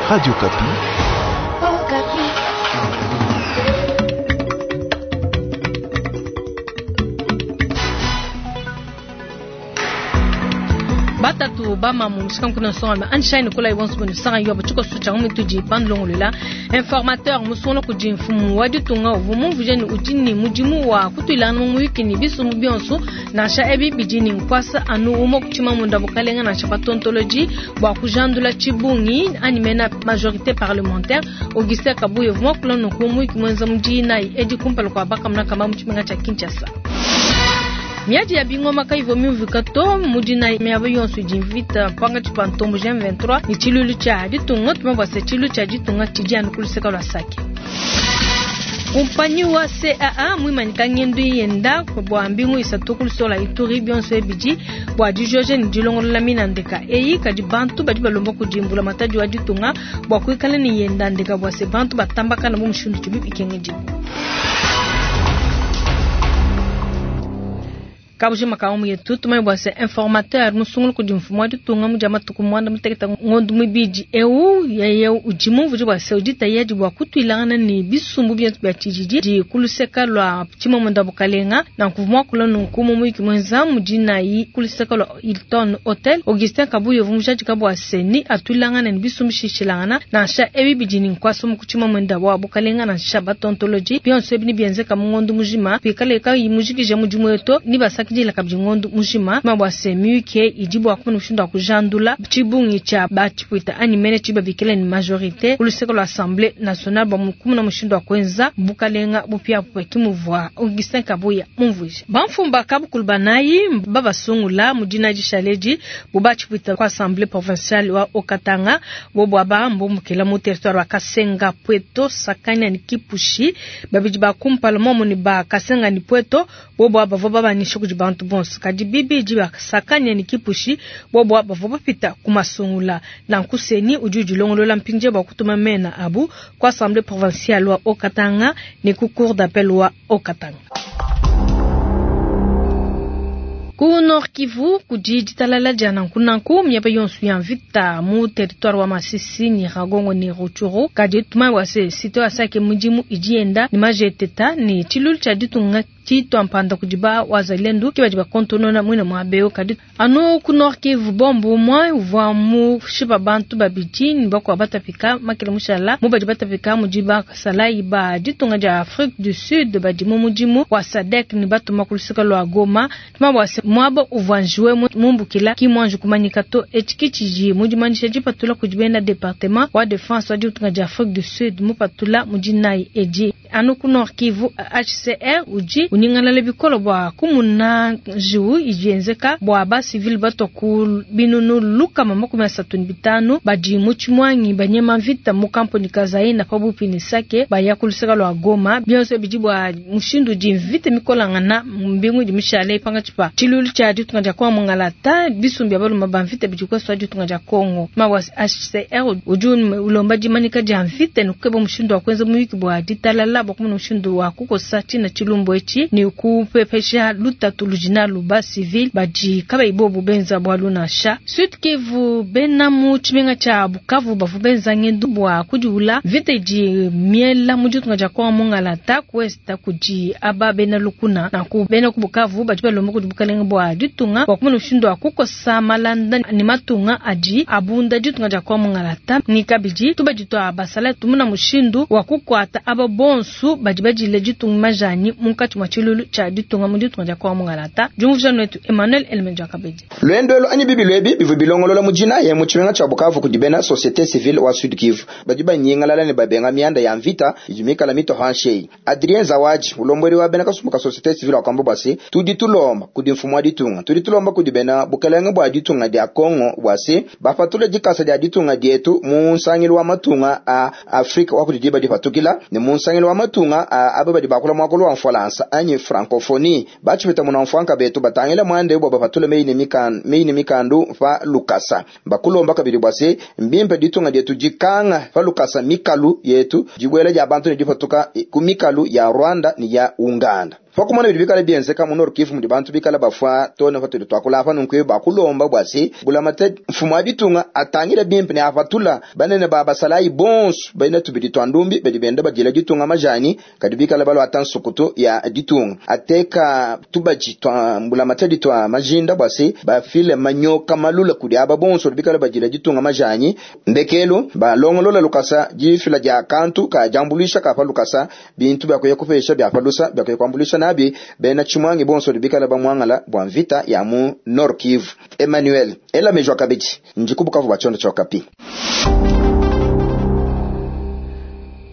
Radio Okapi. Batatu bamamu mushikanku nsonga anshine kula ibonso bunu sanga yobo tshikoso tshia mutudi bandlongolola informateur musungula kudi mfumu wa ditunga uvua mumvuje ne udi ne mudimu wa kutuilangana mu muyuki ne bisumbu bionso nansha ebi bidi ne nkuasa anu umue ku tshimamunda bukalenga nansha batontoloji bua kujandula tshibungi anyi mena majorité parlementaire. Augustin Kabuya uvua muakula nunku mu muyuki muenza mu dinayi edi kumpala kua bakamuna kamba mu tshimenga tshia Kinshasa. Miadi ya bingoma kayivua miumvuika to mu dinayi miaba yonso idi mvita pankatshi pa ntombo M23 ne tshiluilu tshia ditunga. Tumanye bua se tshiluilu tshia ditunga tshidi anu ku luseke lua Sake. Kumpanyi wa CAA muimanyika ngendu yenda bua mbingu isatu ku luseke lua Ituri bionso ebidi bua dijoja ne dilongolola mina ndeka eyi kadi bantu badi balomba kudi mbulamatadi wa ditunga bua kuikala ne yenda ndeka bua se bantu batambakana mu mushindu udibi bikengedibua. Kabujima ka mu yetu tumanye bua se informateur musungula kudi mfumu wa ditunga mu dia matuku muanda mutekete ngondo muibidi eu yeye udi mumvuje bua se udi tayadi bua kutuilangana ne bisumbu bietu bia tshididi di ku luseke lua tshimamunda bukalenga. Nanku muakula nunku mu muyuki muenza mu dinayi ku luseke lua Hilton Hotel Augustin Kabuya uvua mujadika bua se ni atuilangana ne bisumbu bishilangana nansha ebi bidi ne nkuasa mu tshimamunda wa bukalenga nansha batontoloji bionso ebi nibienzeka mu ngondo mujima pikale kayi mujikije mudimu wetu ni basakidila kabidi ngondo mujima ma bua se muyuki idi bua kumona mushindu wa kujandula tshibungi tshia batshipwita anyi mene tshibabikila ne majorité ku luseke lua Assemblée nationale bua kumona mushindu wa kuenza bukalenga bupiabupia kimuvua Augustin Kabuya mumvuije. Bamfumu ba kabukulu banayi babasungula mu dina dishaledi bu batshipwita ku Assemblée provinciale wa Haut-Katanga bobo aba mbumbukila mu territoire wa Kasenga Pweto Sakanya ne Kipushi babidi ba kumpala momo ne ba Kasenga ne Pweto bobo aba bavua babanyisha kudi bantu bonso kadi bibidi ba Sakanya ne Kipushi bobo aba bavua bapita ku masungula. Nanku CENI udi udilongolola mpindieu bua kutuma mena abu ku Assemblée provinciale wa Haut-Katanga ne ku cour d'appel wa Haut-Katanga. Ku Nord Kivu kudi ditalala dia nanku nanku miaba yonso ya mvita mu territoire wa Masisi Nyiragongo ne Rutshuru kadi tumanye bua se site wa Sake mudimu idi yenda ne majeteta ne tshiluilu tshia ditunga tshitua mpanda kudi ba wazalendo ke badi bakontonona muine muaba eu. Kadi anu ku Nord Kivu bombo umue uvua mushipa bantu babidi ne bakuabu batapika makele mushala mu badi batapika mudi basalayi ba ditunga dia Afrique du Sud badi mu mudimu wa SADC ne batuma ku luseke lua Goma. Tumanye bua se muaba uvua njiwe mumbukila ki muanji kumanyika to. Etshi ki tshidi mu dimanyisha dipatula kudi bena département wa défense wa ditunga dia Afrique du Sud mupatula mu dinayi edi. Anu ku Nord Kivu HCR udi unyingalala bikole bua kumuna njiwu idi yenzeka bua ba civil batua ku binunu 135 badi mu tshimwangi banyema mvita mu kampuni Kazaina pabupi ne Sake baya ku luseke lua Goma. Bionso bidi bua mushindu udi mvita mikolangana mbingu idi mishale pankatshi pa tshiluilu tshia ditunga dia Kongo Mungalata bisumbu bia balume ba mvita bidi kuesu ditunga dia Kongo. Mawa HCR udi ulomba dimanyika dia mvita ne kukeba mushindu wa kuenza muyuki bua ditalala bua kumona mushindu wa kukosa tshina tshilumbu etshi ne kupepesha lutatu ludi nalu ba civil badi kabayi bobu benza bualu nansha. Sud Kivu bena mu tshimenga tshia Bukavu bavua benza ngendu bua kudiula mvita idi miela mu ditunga dia Kongo Mungalata ku est kudi aba bena lukuna. Nanku bena ku Bukavu badi balomba kudi bukalenga bua ditunga bua kumona mushindu wa kukosa malanda ne matunga adi abunda ditunga dia Kongo Mungalata ni kabidi tubadi tua basala tumuna mushindu wa kukuata aba bonso badi badile ditunga majani munkatshi mua tshiluilu tshia ditunga mu ditunga dia Kongo Mungalata. Diumvuija netu Emmanuel Elemenja Kabedi. Lwendo anyi bibi lwebi bivua bilongolola mu dinayi mu tshimenga tshia Bukavu kudi bena société civile wa Sud Kivu badi banyingalala ne babenga mianda ya mvita idi mikala mito hanshei. Adrien Zawaji ulombodi wa bena kasumbu ka société civile wakamba bua se tudi tulomba kudi mfumu wa ditunga tudi tulomba kudi bena bukelenge bua ditunga dia Kongo bua se bapatule dikasa dia ditunga dietu mu nsangilu wa matunga a Afrika wa kudi diba dipatukila ne mu nsangilu wa matunga a aba badi bakula muakulu wa Mfualansa anyi francophonie batshipeta muna mfuanka betu batangila mwande bua bapatule meyi ne mikandu pa lukasa bakulomba kabidi bua se mbimpe ditunga dietu dikanga pa lukasa mikalu yetu dibuela dia bantu ne dipatuka ku mikalu ya Rwanda ne ya Uganda. Pa kumona bidi bikale bienzeka mu Nord Kivu mudi bantu bikale bafua too ne patudi tuakula apa nunku bakulomba bua se mbulamatadi mfumu wa ditunga atangile bimpe ne apatula banene ba basalayi bonso bena tubidi tua ndumbi badi benda badila ditunga majanyi kadi bikale baluata nsukutu ya ditunga ateka tubadi tua mbulamatadi tua majinda bua se bafile manyoka malula kudi aba bonso badi bikale badila ditunga majanyi. Ndekelu balongolola lukasa difila dia kantu ka diambuluisha ka pa lukasa bintu bia kuya kupesha bia pa lusa bia kuya kuambuluisha nabi bena tshimuangi bonso badi bikale bamuangala bua mvita ya mu Nord Kivu. Emmanuel Ela Mejwa kabidi ndi ku Bukavu bua tshiondo tshia Okapi.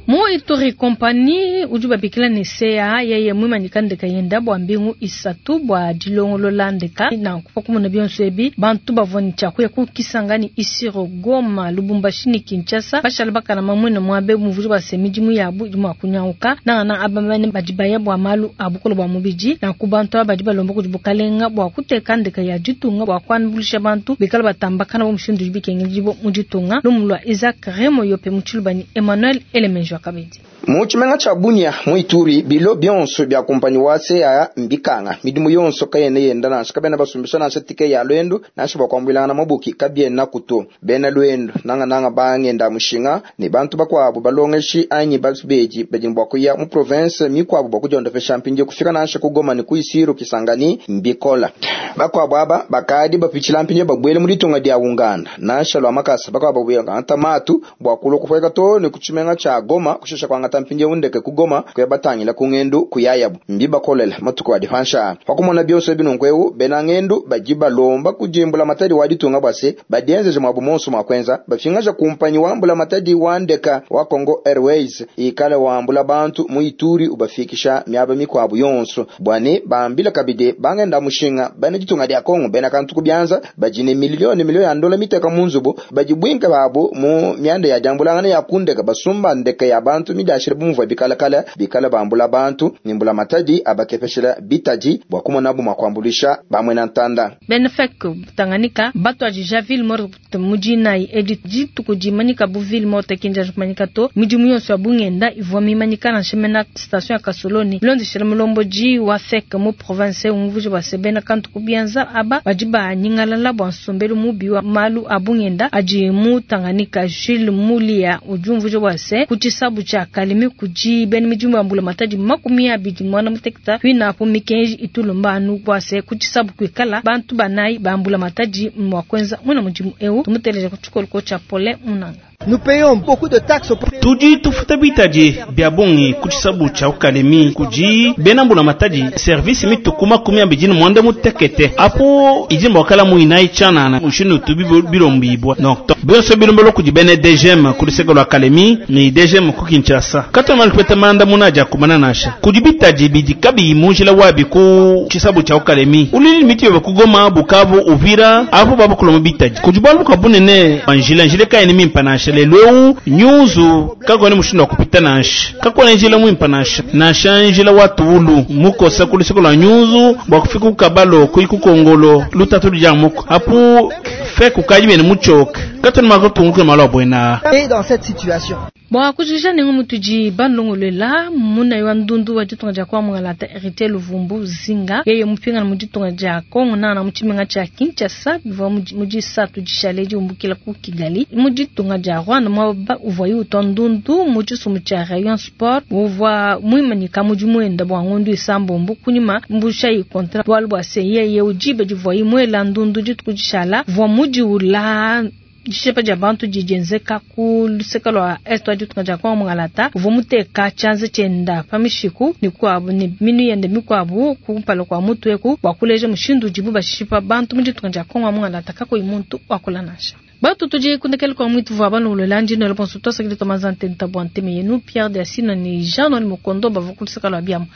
Mu Ituri Company udi babikila ne CA yeye muimanyika ndeka yenda bua mbingu isatu bua dilongolola ndeka. Nanku pa kumona bionso ebi bantu bavua ne tshia kuya ku Kisangani, Isiro, Goma, Lubumbashi ne Kinshasa bashala bakalama muine muabe muvudi bua se midimu yabu idi mua kunyanguka nangananga aba bane badi baya bua malu a bukole bua mubidi. Nanku bantu aba badi balomba kudi bukalenga bua kuteka ndeka ya ditunga bua kuambuluisha bantu bikala batambakana bu mushindu udi bikengedibua mu ditunga. Lumu lua Isaac Remo Yope mu Tshiluba ne Emmanuel Elemenjwa kabidi. Mu tshimenga tshia Bunia mu Ituri, bilo bionso bia kumpanyi wa CAA mbikanga. Midimu yonso kayena yenda nansha, kabena basumbisha nansha tike ya luendu nansha bua kuambuilangana mabuki kabienaku to. Bena luendu nangananga bangenda mushinga ne bantu bakuabu balongeshi anyi babedi badi ne bua kuya mu province mikuabu bua kudiondopesha mpindieu kufika nansha ku Goma ne ku Isiro Kisangani mbikola. Bakuabu aba bakadi bapitshila mpindieu babuele mu ditunga dia Uganda nansha lua makasa, bakuabu bangata matu bua kulua kupueka too ne ku tshimenga tshia Goma kushisha kuangata mpindieu ndeke ku Goma kuya batangila ku ngendu kuyayabu. Mbibakolele matuku adi panshi aa. Pa kumona bionso ebi nunku eu, bena ngendu badi balomba kudi mbulamatadi wa ditunga bua se badienzeje muabu muonso mua kuenza bapingaja kumpanyi wa mbulamatadi wa ndeka wa Congo Airways ikale wambula bantu mu Ituri ubafikisha miaba mikuabu yonso bua ne bambila kabidi bangenda mushinga bena ditunga dia Congo bena kantu ku bianza badi ne miliyo ne miliyo ya ndola miteka mu nzubu badi buinke babu mu mianda ya diambulangana ya kundeka basumba ndeka ya bantu midiashile bu muvua bikalakala bikale bambula bantu ne mbulamatadi abakepeshela bitadi bua kumonabu mua kuambuluisha bamwena ntanda. Benefek Tanganyika batuadija ville morte mu dinayi edi dituku dimanyika bu ville morte kinja kumanyika to midimu yonso ya bungenda ivua mimanyika nansha mena station ya Kasoloni bilondeshela mulombodi wa FEC mu province umvuije bua se bena kantu ku bianza aba badi banyingalala bua nsombelu mubi wa malu a bungenda adi mu Tanganyika. Jules Mulia udi umvuija bua se ku tshisabu tshia Kalemi kudi bena midimu ya mbulamatadi 28 kuinapu mikenji itulomba anu bua se ku tshisabu kuikala bantu banayi ba mbulamatadi mua kuenza muena mudimu eu. Tumuteleja ku tshikoloko tshia Paulin Munanga. Nous payons beaucoup de taxes au Tudi tufuta bitadi bia bungi ku tshisabu tshia Kalemi kudi bena mbulamatadi service mituku 29 apo idi mbwakala muinayi tshianana mushindu utu bilombibwa donc bionso bilombelo kudi bena DGM ku luseke lua Kalemi ne DGM ku Kinshasa katona malupeta manda munaja kumana nasha kudi bitadi bidi kabiyi munjila wabi ku tshisabu tshia Kalemi ulili miti yobe ku Goma Bukavu Uvira apo babukuloma bitadi kudi bwalu bukabunene banjila njile kayene mimpa nasha lelu nyuzu kakone mushindu wa kupita nansha kakone njila mwimpa nansha nansha njila wa tuulu mukosa kuluseko lwa nyuzu bua kufika kukabalo kuli kukongolo lutatu luja muko apu fe kukaji bene muchoke katoni makutunguke malo abwena. Et dans cette situation Bua kujikija nengo mutudi balongolola munayi wa ndundu wa ditunga dia kuamualata Héritier Luvumbu Zinga yeye mupingana mu ditunga dia Kongo nana mu tshimenga tshia Kinshasa bivua mu disatu dishale diumbukila ku Kigali mu ditunga dia Rwanda muaba uvuaye utua ndundu mu tshisumbu tshia Rayon Sport uvua muimanyika mudimu wenda bua ngondu isambombo kunyima mbushayi kontra bualu bua se yeye udibe divuaye muela ndundu dituku dishala uvua mudiula dishepa dia bantu didienzeka ku luseka lua est wa ditunga dia Kongo Mungalata uvua muteka tshianza tshienda pa mishiku mikuabu ne minu yende mikuabu kumpala kua mutu eku bua kuleja mushindu udibu bashipa bantu mu ditunga dia Kongo Mungalata kakuyi muntu wakula nansha. Batu tudi kundekele kwa mwitu vua balongolola ndino la bonso twasakile twamaza ntenta bua nteme yenu Pierre de Asina ni Jean Noël Mukondo bavua ku luseka lua biamu.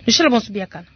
Nushela bonso biakana.